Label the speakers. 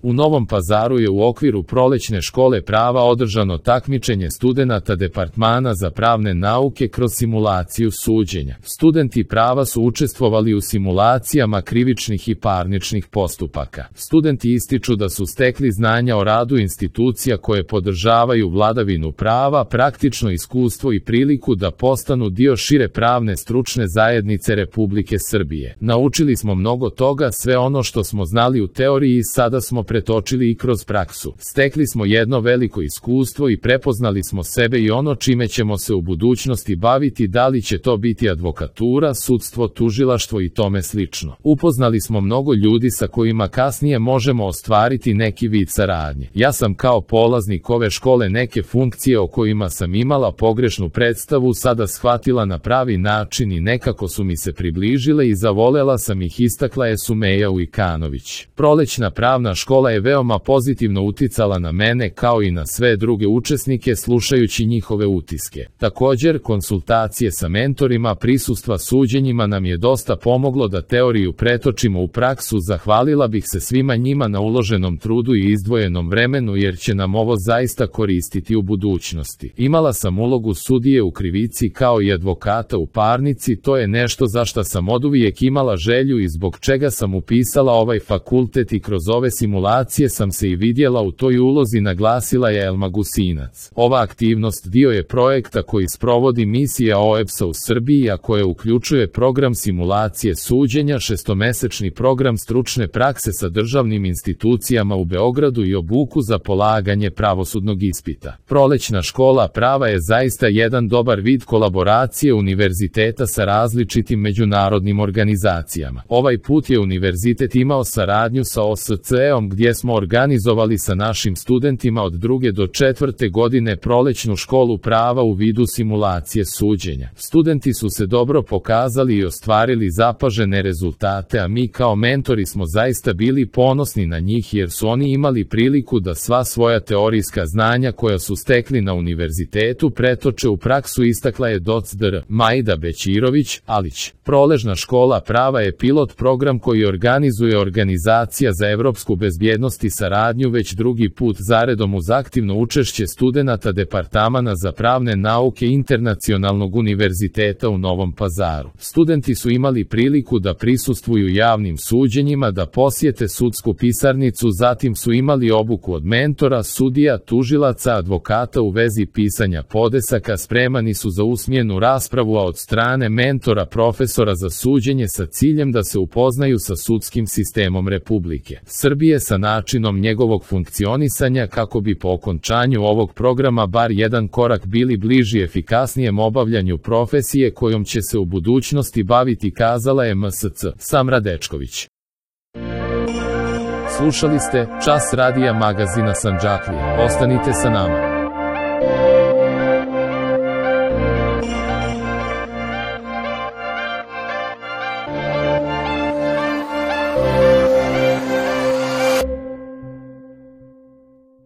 Speaker 1: U Novom Pazaru je u okviru prolećne škole prava održano takmičenje studenata Departmana za pravne nauke kroz simulaciju suđenja. Studenti prava su učestvovali u simulacijama krivičnih i parničnih postupaka. Studenti ističu da su stekli znanja o radu institucija koje podržavaju vladavinu prava, praktično iskustvo i priliku da postanu dio šire pravne stručne zajednice Republike Srbije. Naučili smo mnogo toga, sve ono što smo znali u teoriji sada smo pretočili i kroz praksu. Stekli smo jedno veliko iskustvo i prepoznali smo sebe i ono čime ćemo se u budućnosti baviti, da li će to biti advokatura, sudstvo, tužilaštvo i tome slično. Upoznali smo mnogo ljudi sa kojima kasnije možemo ostvariti neki vid saradnje. Ja sam kao polaznik ove škole neke funkcije o kojima sam imala pogrešnu predstavu sada shvatila na pravi način i nekako su mi se približile i zavolela sam ih, istakla je Sumeja Ujkanović. Prolećna pravna škola je veoma pozitivno uticala na mene kao i na sve druge učesnike slušajući njihove utiske. Također, konsultacije sa mentorima, prisustva suđenjima nam je dosta pomoglo da teoriju pretočimo u praksu. Zahvalila bih se svima njima na uloženom trudu i izdvojenom vremenu jer će nam ovo zaista koristiti u budućnosti. Imala sam ulogu sudije u krivici kao i advokata u parnici, to je nešto za šta sam oduvijek imala želju i zbog čega sam upisala ovaj fakultet i kroz ove simulacije sam se i vidjela u toj ulozi, naglasila je Elma Gusinac. Ova aktivnost dio je projekta koji sprovodi misija OEBS-a u Srbiji, a koje uključuje program simulacije suđenja, šestomesečni program stručne prakse sa državnim institucijama u Beogradu i obuku za polaganje pravosudnog ispita. Prolećna škola prava je zaista jedan dobar vid kolaboracije univerziteta sa različitim međunarodnim organizacijama. Ovaj put je univerzitet imao saradnju sa OSCE-om gdje smo organizovali sa našim studentima od 2. do 4. godine prolećnu školu prava u vidu simulacije suđenja. Studenti su se dobro pokazali i ostvarili zapažene rezultate, a mi kao mentori smo zaista bili ponosni na njih jer su oni imali priliku da sva svoja teorijska znanja koja su stekli na univerzitetu pretoče u praksu, istakla je doc.dr. Majda Bećirović Alić. Prolećna škola prava je pilot program koji organizuje Organizacija za evropsku bezbjednost i saradnju već drugi put zaredom uz aktivno učešće studenata Departmana za pravne nauke Internacionalnog univerziteta u Novom Pazaru. Studenti su imali priliku da prisustvuju javnim suđenjima, da posjete sudsku pisarnicu, zatim su imali obuku od mentora, sudija, tužilaca, advokata u vezi pisanja podnesaka, spremani su za usmenu raspravu, a od strane mentora profesora za suđenje sa ciljem da se upoznaju sa sudskim sistemom Republike Srbije, sa načinom njegovog funkcionisanja kako bi po okončanju ovog programa bar jedan korak bili bliži efikasnijem obavljanju profesije kojom će se u budućnosti baviti, kazala je MSC. Samra Dečković. Slušali ste Čas radija magazina Sandžaklija. Ostanite sa nama.